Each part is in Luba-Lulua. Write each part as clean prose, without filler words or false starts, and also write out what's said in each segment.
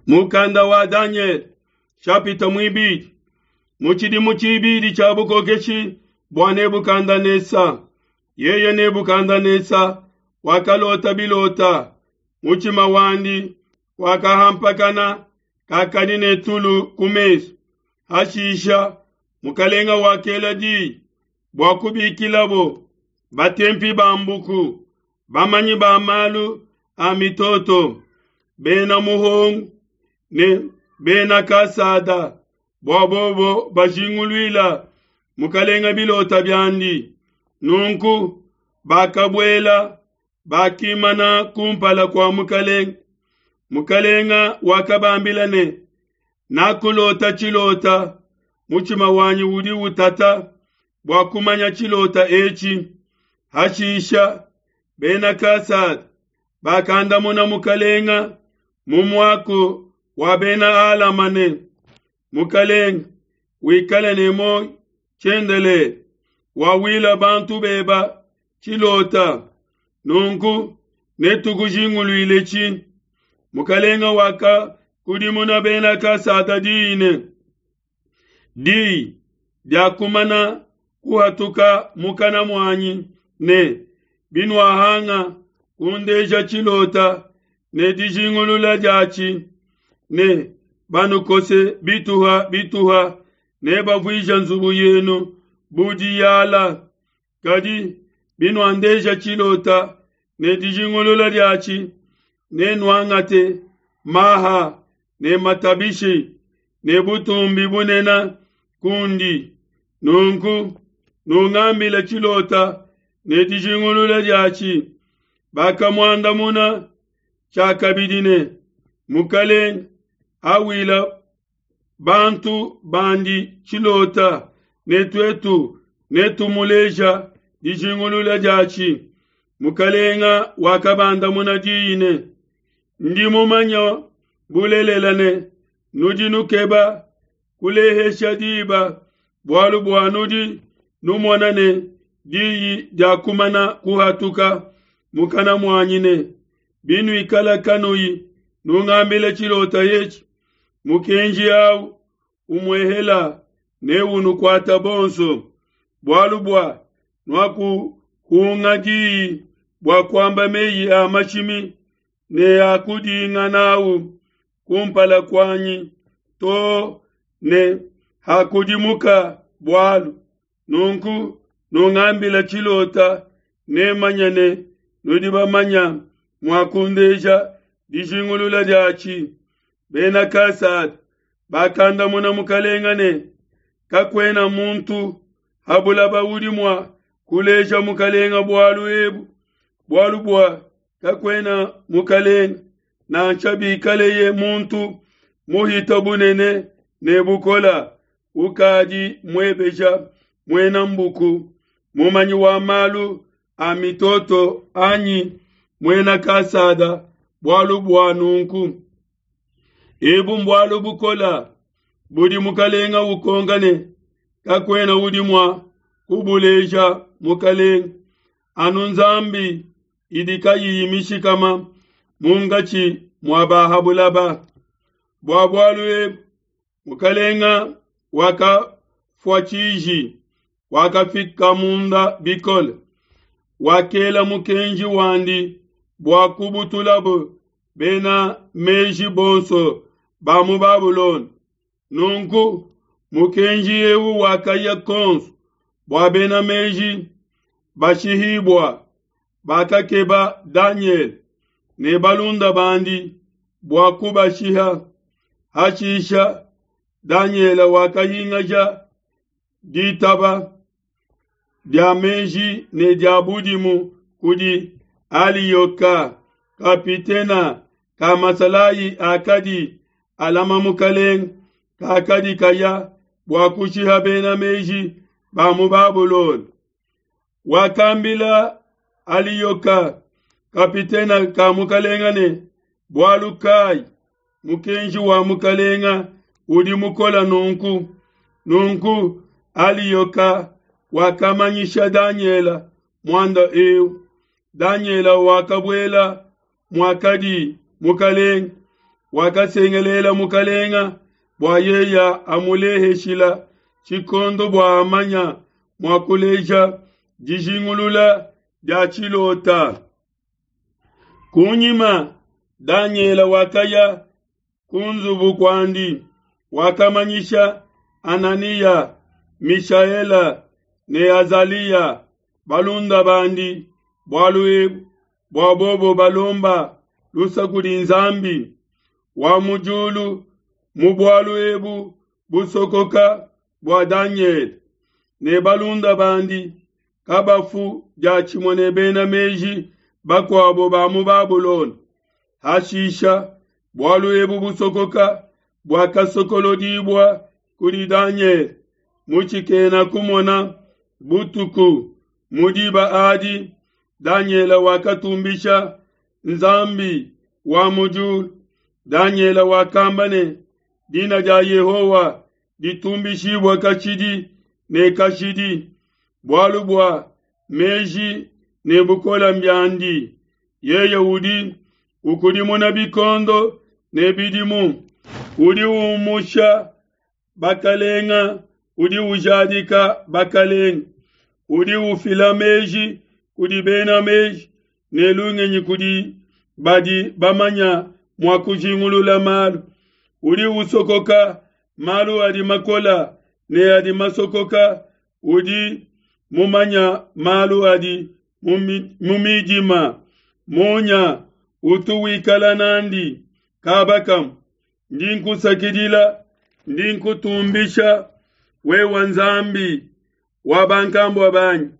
Mukanda wa Danyele shapita muibidi. Mu tshidimu tshibidi tshia bukokeshi bua Nebukadenesa, yeye Nebukadenesa wakalota bilota, mutshima wandi wakahampakana, kakadi ne tulu ku mesu. Hashisha mukalenga wakela diyi bua kubikilabo batempi ba mbuku, bamanyi ba malu a mitoto, bena muhongo ne bena Kasada, bua bobo bajinguluila mukalenga bilota biandi. Nunku bakabuela, bakimana kumpala kua mukalenga. Mukalenga wakabambila ne, Nakulota tshilota, mutshima wanyi udi utata bua kumanya tshilota etshi. Hashisha bena Kasada bakandamuna mukalenga mu muaku wa bena Alama ne, Mukalenga, wikale ne muoyo tshiendelele, wawila bantu beba tshilota, nunku netukujinguluiletshi. Mukalenga wakakudimuna bena Kasada diyi ne, Diyi diakumana kuhatuka mukana muanyi ne, Binuahanga kundeja tshilota ne dijingulula diatshi, ne banukose bituha bituha, ne bavuija nzubu yenu bu diyala. Kadi binuandeja tshilota ne dijingulula diatshi, nenuangate maha ne matabishi ne butumbi bunene kundi. Nunku nungambile tshilota ne dijingulula diatshi. Bakamuandamuna tshiakabidi ne, Mukalenge, awila bantu bandi tshilota, ne tuetu netumuleja dijingulula diatshi. Mukalenga wakabandamuna diyi ne, Ndi mumanya bulelela ne, nudi nukeba kulehesha diba, bualu bua nudi numona ne, diyi diakumana kuhatuka mukana muanyi ne, Binuikala kanuyi nungambila tshilota etshi, mukenji au umuehela neunukuata bonso, bualu bua nuakuhunga diyi bua kuamba meyi a mashimi ne a kudinga n'au kumpala kuanyi to ne hakudimuka bualu. Nunku nungambila tshilota, nemanye ne nudi bamanya mua kundeja dijingulula diatshi. Bena Kasada bakandamuna mukalenga ne, Kakuena muntu ha bulaba udi mua kuleja mukalenga bualu ebu, bualu bua kakuena mukalenga, nansha bikaleye muntu muhita bunene ne bukola, ukadi muebeja muena mbuku, mumanyi wa malu a mitoto anyi muena Kasada bualu bua nunku. Ebu mbualu bukola budi mukalenga ukonka ne, kakuena udi mua kubuleja mukalenga, anu Nzambi idi kayiyi mishikama munkatshi mua ba ha bulaba. Bua bualu ebu mukalenga wakafua tshiji, wakafika munda bikole, wakela mukenji wandi bua kubutulabo bena meji bonso ba mu Babulona. Nunku mukenji eu wakaya konso bua bena meji bashihibua. Bakakeba Danyele ne balunda bandi bua kubashiha. Hashisha Danyele wakahingaja ditaba dia meji ne dia budimu kudi Aliyoka, kapitena ka masalayi akadi alama mukalenge, kakadi kaya bua kushiha bena meji ba mu Babulona. Wakambila Aliyoka, kapitena ka mukalenga ne, Bualu kai mukenji wa mukalenga udi mukola nunku? Nunku Aliyoka wakamanyisha Danyela muanda eu. Danyela wakabuela muakadi mukalenge. wakasengelela mukalenga bua yeya amuleheshila tshikondo bua amanya mua kuleja dijingulula dia tshilota. Kunyima Danyele wakaya ku nzubu kuandi, wakamanyisha Ananiya, Mishaela ne Azaliya balunda bandi bualu ebu, bua bobo balomba lusa kudi Nzambi wa mu diulu mu bualu ebu busokoka bua Danyele ne balunda bandi kabafu diatshimue ne bena meji bakuabo ba mu Babulona. Hashisha, bualu ebu busokoka buakasokolodibua kudi Danyele mu tshikena kumona butuku. Mu diba adi Danyele wakatumbisha Nzambi wa mu diulu. Danyele wakamba ne, Dina dia Yehowa ditumbishibua kashidi ne kashidi, bualu bua meji ne bukole mbiandi. Yeye udi ukudimuna bikondo ne bidimu, udi umusha bakalenga, udi ujadika bakalenga, udi ufila meji kudi bena meji ne lungenyi kudi badi bamanya mua kujingulula malu, udi usokoka malu adi makola ne adi masokoka, udi mumanya malu adi mu midima. Munya utu wikala nandi kaba kamue. Ndi nkusakidila, ndi nkutumbisha, wewe Nzambi wa bankambua banyi,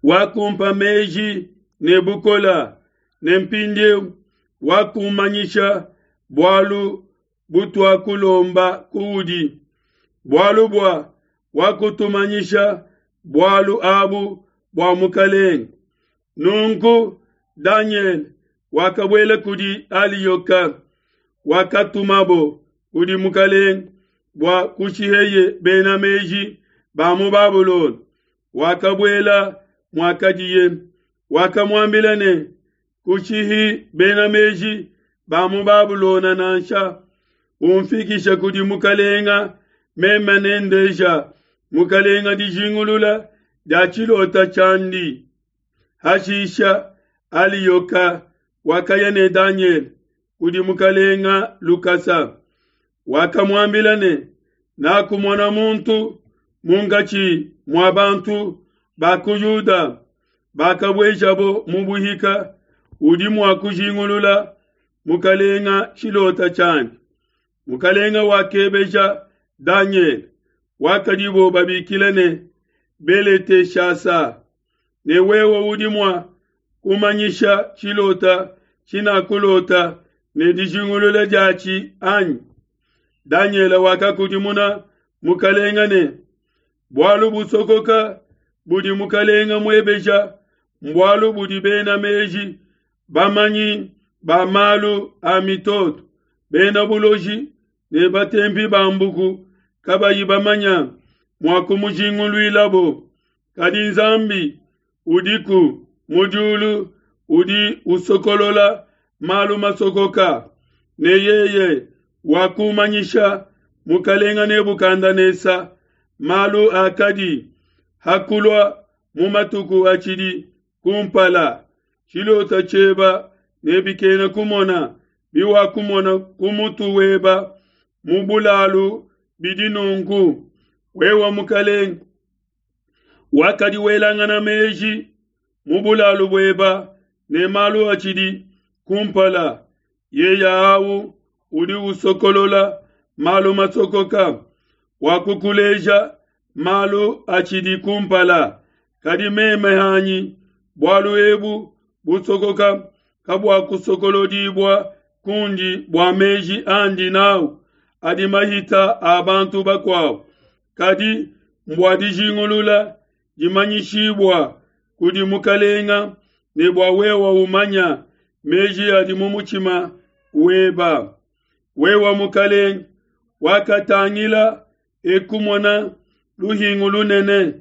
wakumpa meji ne bukola, ne mpindieu wakumanyisha bualu butuakulomba kuudi, bualu bua wakutumanyisha bualu abu bua mukalenge. Nunku Danyele wakabuela kudi Aliyoka, wakatumabo kudi mukalenge bua kushiheye bena meji ba mu Babulona. Wakabuela muakadiye, wakamuambila ne, Kushihi bena meji ba mu Babulona nansha, umfikishe kudi mukalenga, meme nendeja mukalenga dijingulula dia tshilota tshiandi. Hashisha Aliyoka wakaya ne Danyele kudi mukalenga lukasa, wakamuambila ne, Nakumona muntu munkatshi mua bantu ba ku Yuda bakabuejabo mu buhika, udi mua kujingulula mukalenga tshilota tshiandi. Mukalenga wakebeja Danyele, wakadibo babikila ne Beleteshasa, ne wewe udi mua kumanyisha tshilota tshinakulota ne dijingulula diatshi anyi? Danyele wakakudimuna mukalenga ne, Bualu busokoka budi mukalenga muebeja mbualu budi bena meji, bamanyi ba malu a mitoto, bena buloji ne batempi ba mbuku kabayi bamanya mua kumujinguluilabo. Kadi Nzambi udiku mu diulu udi usokolola malu masokoka, ne yeye wakumanyisha mukalenga Nebukadenesa malu akadi hakulua mu matuku atshidi kumpala. Tshilota tshieba ne bikena kumona biwakumona ku mutu weba mu bulalu bidi nunku: wewe mukalenge wakadi welangana meji mu bulalu bueba ne malu atshidi kumpala, yeya awu udi usokolola malu masokoka, wakukuleja malu atshidi kumpala. Kadi meme hanyi, bualu ebu busokoka kabuakusokolodibua kundi bua meji andi nawu adi mahita a bantu bakuabo, kadi mbua dijingulula dimanyishibua kudi mukalenga, ne bua wewa umanya meji adi mu mutshima weba. Wewa mukalenge wakatangila ekumona luhingu lunene,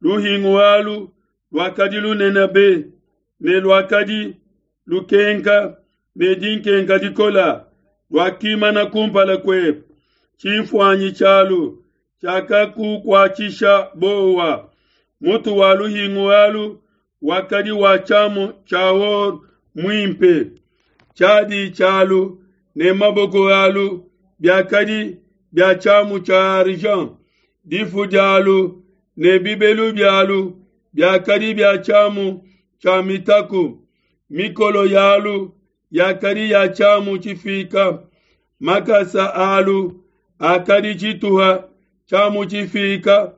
luhingu alu luakadi lunene be, ne luakadi lukenka ne dinkenka dikola. luakimana kumpala kuebe, tshinfuanyi tshialu tshiakakukuatshisha buowa. Mutu wa luhingu alu wakadi wa tshiamu tshia or muimpe, tshiadi tshialu ne maboko alu biakadi bia tshiamu tshia argent, difu dialu ne bibelu bialu biakadi bia tshiamu tshia mitaku, mikolo yalu yakadi ya tshiamu tshifika, makasa alu akadi tshituha tshiamu tshifika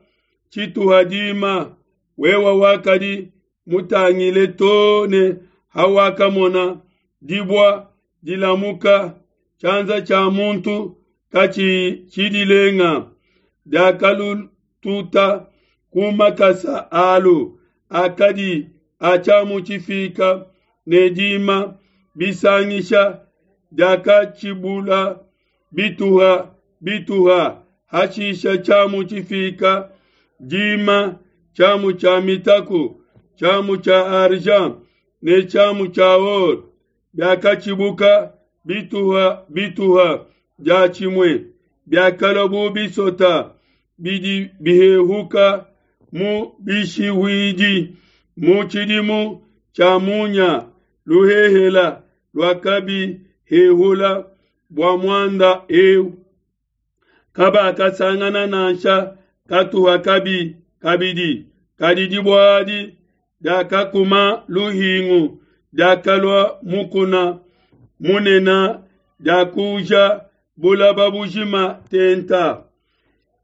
tshituha dima. Wewe wakadi mutangile too ne hawakamona dibua dilamuka, tshianza tshia muntu katshiyi tshidilenga, diakalututa ku makasa alu akadi a tshiamu tshifika ne dima bisangisha, diakatshibula bituha bituha, hashisha tshiamu tshifika, dima, tshiamu tshia mitaku, tshiamu tshia argent ne tshiamu tshia or biakatshibuka bituha bituha diatshimue, biakalua bu bisota bidi bihehuka mu bishihuidi. Mu tshidimu tshia munya luhehela luakabihehula bua muanda eu, kabakasangana nansha katuha kabi kabidi, kadi dibua adi diakakuma luhingu, diakalua mukuna munene, diakuuja bulaba bujima tenta.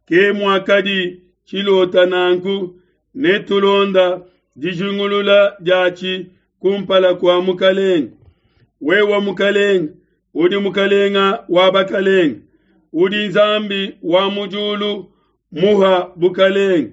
Ke muakadi tshilota nanku, ne tulonda dijingulula diatshi kumpala kua mukalenge. Wewe mukalenge, udi mukalenga wa bakalenge, udi Nzambi wa mu diulu muha bukalenge,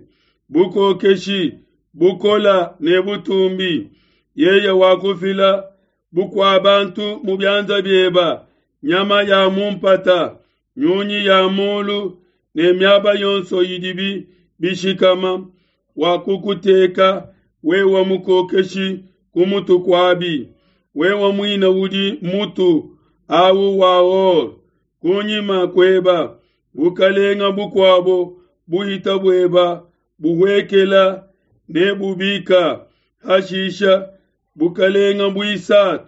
bukokeshi, bukola ne butumbi. Yeye wakufila bukua bantu mu bianza bieba, nyama ya mu mpata, nyunyi ya mulu ne miaba yonso idibi bishikama, wakukuteka wewe mukokeshi ku mutu kuabi. Wewe muine udi mutu awu wa or. Kunyima kueba bukalenga bukuabo buhita bueba buhuekela ne bubika, hashisha bukalenga buisatu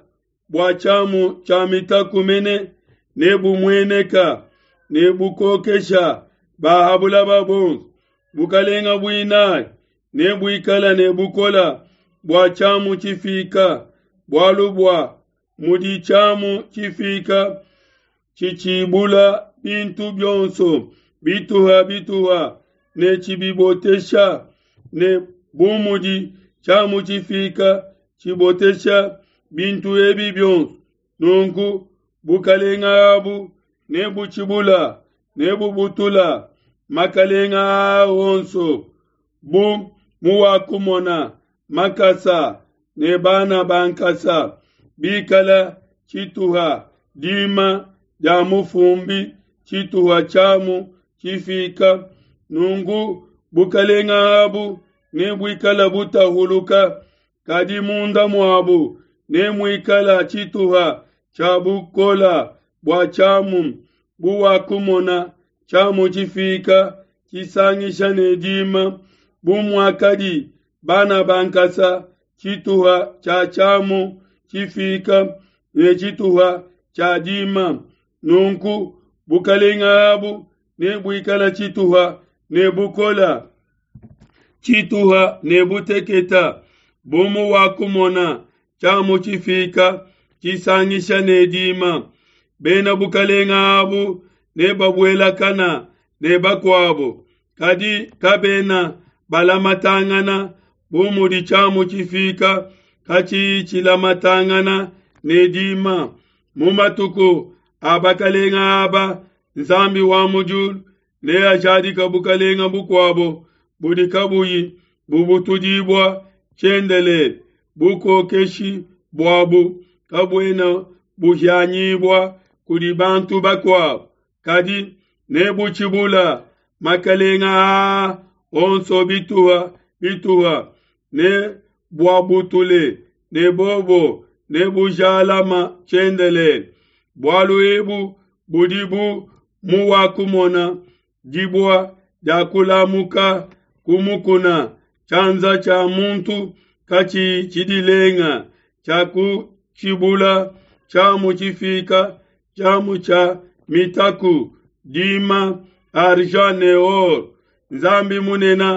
bua tshiamu tshia mitaku mene ne bumueneka ne bukokesha ba ha bulaba bonso. Bukalenga buinayi ne buikala ne bukola bua tshiamu tshifika, bualu bua mudi tshiamu tshifika tshitshibula bintu bionso bituha bituha ne tshibibotesha, ne bu mudi tshiamu tshifika tshibotesha bintu ebi bionso, nunku bukalenga abu ne butshibula ne bubutula makalenga aa onso, bu muwakumona makasa ne bana ba nkasa bikala tshituha dima dia mufumbi tshituha tshiamu tshifika, nunku bukalenga abu ne buikala butahuluka, kadi munda muabu ne muikala tshituha tshia bukola bua tshiamu, buwakumona tshiamu tshifika tshisangisha ne dima, bu muakadi bana ba nkasa tshituha tshia tshiamu tshifika ne tshituha tshia dima, nunku bukalenga abu ne buikala tshituha ne bukola, tshituha ne buteketa, bu muwakumona tshiamu tshifika tshisangisha ne dima. Bena bukalenga abu ne babuelakana ne bakuabo, kadi kabena balamatangana bu mudi tshiamu tshifika katshiyi tshilamatangana ne dima. Mu matuku a bakalenga aba, Nzambi wa mu diulu neajadika bukalenga bukuabo budi kabuyi bubutudibua tshiendelele, bukokeshi buabu kabuena buhianyibua kudi bantu bakuabo, kadi nebutshibula makalenga aa onso bituha bituha, ne buabutule ne bobo ne bujalama tshiendelele. Bualu ebu budi bu muwakumona dibua diakulamuka ku mukuna, tshianza tshia muntu katshiyi tshidilenga, tshiakutshibula tshiamu tshifika, tshiamu tshia mitaku, dima, argent ne or. Nzambi munene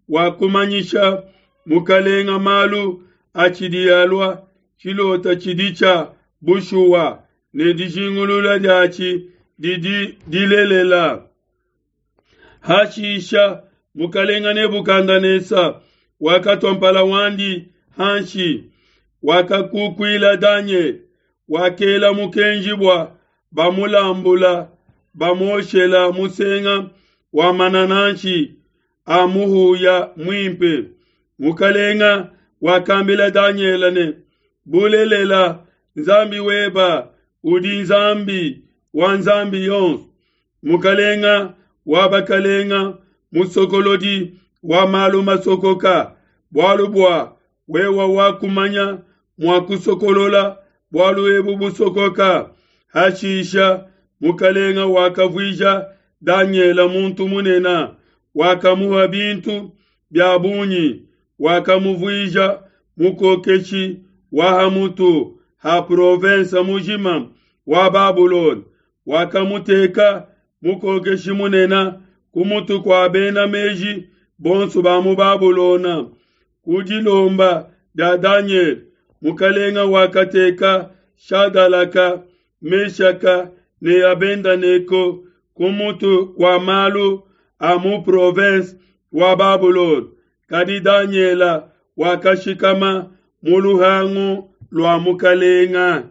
wakumanyisha mukalenga malu atshidi alua, tshilota tshidi tshia bushuwa ne dijingulula diatshi didi dilelela. Hashisha mukalenga Nebukadenesa wakatua mpala wandi hanshi, wakakukuila Danyele, wakela mukenji bua bamulambula bamuoshela musenga wa manananshi a muhuya muimpe. Mukalenga wakambila Danyele ne, Bulelela, Nzambi weba udi Nzambi wa nzambi yonso, Mukalenga wa bakalenga, musokolodi wa malu masokoka, bualu bua wewa wakumanya mua kusokolola bualu ebu busokoka. Hashisha mukalenga wakavuija Danyele muntu munene, wakamuha bintu bia bungi, wakamuvuija mukokeshi wa ha mutu ha province mujima wa Babulona, wakamuteka mukokeshi munene ku mutu kua bena meji bonso ba mu Babulona. Ku dilomba dia Danyele, mukalenga wakateka Shadalaka, Meshaka ne Abedenego ku mutu kua malu a mu province wa Babulona. Kadi Danyele wakashikama mu luhangu lua mukalenga.